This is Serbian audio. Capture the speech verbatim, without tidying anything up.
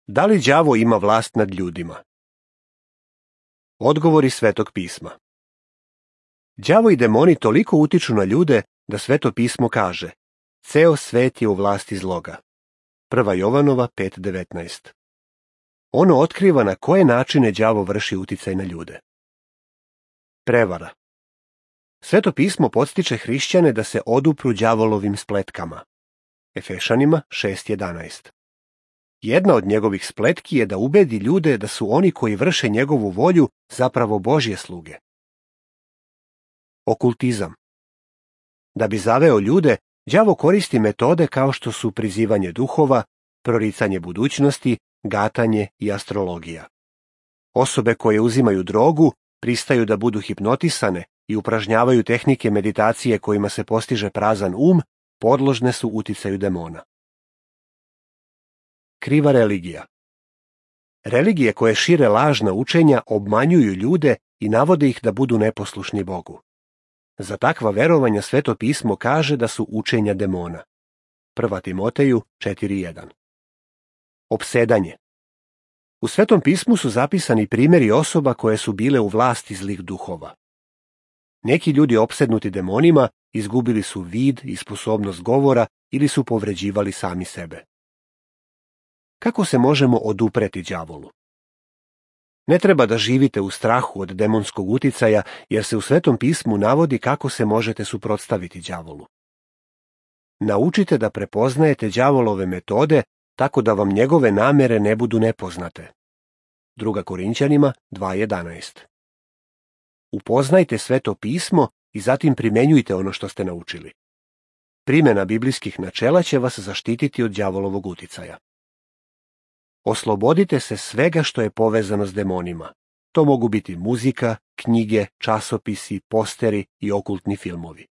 Da li đavo ima vlast nad ljudima? Odgovori Svetog pisma. Đavo i demoni toliko utiču na ljude da Sveto pismo kaže: ceo svet je u vlasti zloga. Prva Jovanova pet devetnaest. Ono otkriva na koje načine đavo vrši uticaj na ljude. Prevara. Sveto pismo podstiče hrišćane da se odupru đavolovim spletkama. Efešanima šest jedanaest. Jedna od njegovih spletki je da ubedi ljude da su oni koji vrše njegovu volju zapravo Božje sluge. Okultizam. Da bi zaveo ljude, đavo koristi metode kao što su prizivanje duhova, proricanje budućnosti, gatanje i astrologija. Osobe koje uzimaju drogu pristaju da budu hipnotisane i upražnjavaju tehnike meditacije kojima se postiže prazan um, podložne su uticaju demona. Kriva religija. Religije koje šire lažna učenja obmanjuju ljude i navode ih da budu neposlušni Bogu. Za takva verovanja Sveto pismo kaže da su učenja demona. Prva Timoteju četiri jedan. Opsedanje. U Svetom pismu su zapisani primjeri osoba koje su bile u vlasti zlih duhova. Neki ljudi opsednuti demonima izgubili su vid i sposobnost govora ili su povređivali sami sebe. Kako se možemo odupreti đavolu? Ne treba da živite u strahu od demonskog uticaja, jer se u Svetom pismu navodi kako se možete suprotstaviti đavolu. Naučite da prepoznajete đavolove metode tako da vam njegove namere ne budu nepoznate. Druga Korinćanima dva jedanaest. Upoznajte Sveto pismo i zatim primenjujte ono što ste naučili. Primjena biblijskih načela će vas zaštititi od đavolovog uticaja. Oslobodite se svega što je povezano s demonima. To mogu biti muzika, knjige, časopisi, posteri i okultni filmovi.